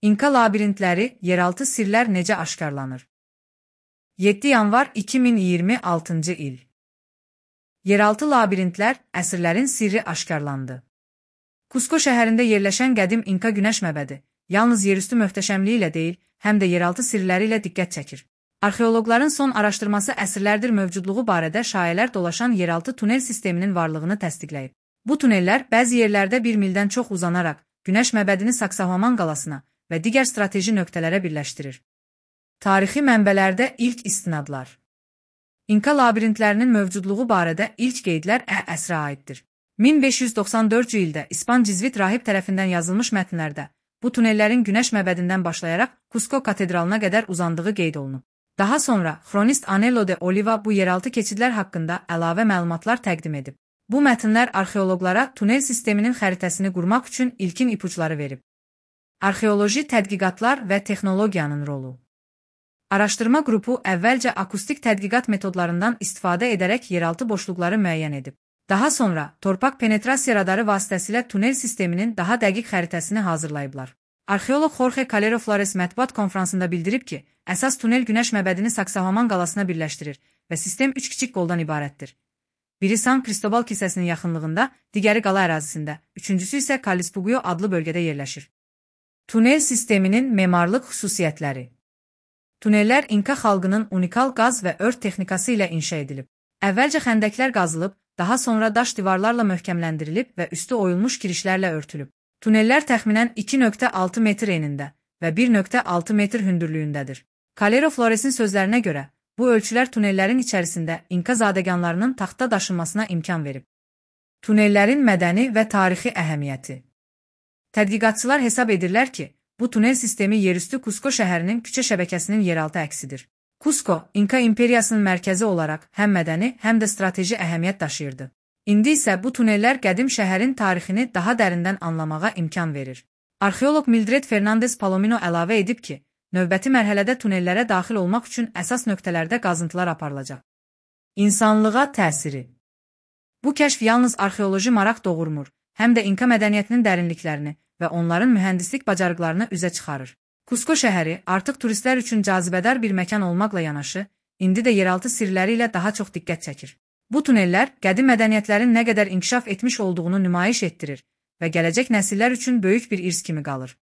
İnka labirintləri, yeraltı sirlər necə aşkarlanır? 7 yanvar 2026-cı il. Yeraltı labirintlər, əsrlərin sirri aşkarlandı. Kusko şəhərində yerləşən qədim İnka günəş məbədi, yalnız yerüstü möhtəşəmliyi ilə deyil, həm də yeraltı sirləri ilə diqqət çəkir. Arxeoloqların son araşdırması əsrlərdir mövcudluğu barədə şayələr dolaşan yeraltı tunel sisteminin varlığını təsdiqləyib. Bu tunellər bəzi yerlərdə 1 mildən çox uzanaraq, günəş məbədini Saksahaman qalasına və digər strateji nöqtələrə birləşdirir. Tarixi mənbələrdə ilk istinadlar. İnka labirintlərinin mövcudluğu barədə ilk qeydlər əsrə aiddir. 1594-cü ildə İspan Cizvit rahib tərəfindən yazılmış mətnlərdə bu tunellərin günəş məbədindən başlayaraq Kusko katedralına qədər uzandığı qeyd olunub. Daha sonra xronist Anello de Oliva bu yeraltı keçidlər haqqında əlavə məlumatlar təqdim edib. Bu mətnlər arxeoloqlara tunel sisteminin xəritəsini qurmaq üçün ilkin ipuçları verib. Arxeoloji tədqiqatlar və texnologiyanın rolu. Araşdırma qrupu əvvəlcə akustik tədqiqat metodlarından istifadə edərək yeraltı boşluqları müəyyən edib. Daha sonra torpaq penetrasiya radarı vasitəsilə tunel sisteminin daha dəqiq xəritəsini hazırlayıblar. Arxeoloq Jorge Calero Flores mətbuat konfransında bildirib ki, əsas tunel günəş məbədini Saksahaman qalasına birləşdirir və sistem 3 kiçik qoldan ibarətdir. Biri San Cristobal kilsəsinin yaxınlığında, digəri qala ərazisində, üçüncüsü isə Kalispugio adlı bölgədə yerləşir. Tunel sisteminin memarlıq xüsusiyyətləri. Tunellər İnka xalqının unikal qaz və ört texnikası ilə inşa edilib. Əvvəlcə xəndəklər qazılıb, daha sonra daş divarlarla möhkəmləndirilib və üstü oyulmuş girişlərlə örtülüb. Tunellər təxminən 2,6 metr enində və 1,6 metr hündürlüyündədir. Calero Flores'in sözlərinə görə, bu ölçülər tunellərin içərisində İnka zadəganlarının taxta daşınmasına imkan verib. Tunellərin mədəni və tarixi əhəmiyyəti. Tədqiqatçılar hesab edirlər ki, bu tunel sistemi yerüstü Kusko şəhərinin küçə şəbəkəsinin yeraltı əksidir. Kusko, İnka imperiyasının mərkəzi olaraq həm mədəni, həm də strateji əhəmiyyət daşıyırdı. İndi isə bu tunellər qədim şəhərin tarixini daha dərindən anlamağa imkan verir. Arxeoloq Mildred Fernandez Palomino əlavə edib ki, növbəti mərhələdə tunellərə daxil olmaq üçün əsas nöqtələrdə qazıntılar aparılacaq. İnsanlığa təsiri. Bu kəşf yalnız arxeoloji maraq doğurmur, həm də İnka mədəniyyətinin dərinliklərini və onların mühəndislik bacarıqlarını üzə çıxarır. Kusko şəhəri artıq turistlər üçün cazibədar bir məkan olmaqla yanaşı, indi də yeraltı sirləri ilə daha çox diqqət çəkir. Bu tunellər qədim mədəniyyətlərin nə qədər inkişaf etmiş olduğunu nümayiş etdirir və gələcək nəsillər üçün böyük bir irs kimi qalır.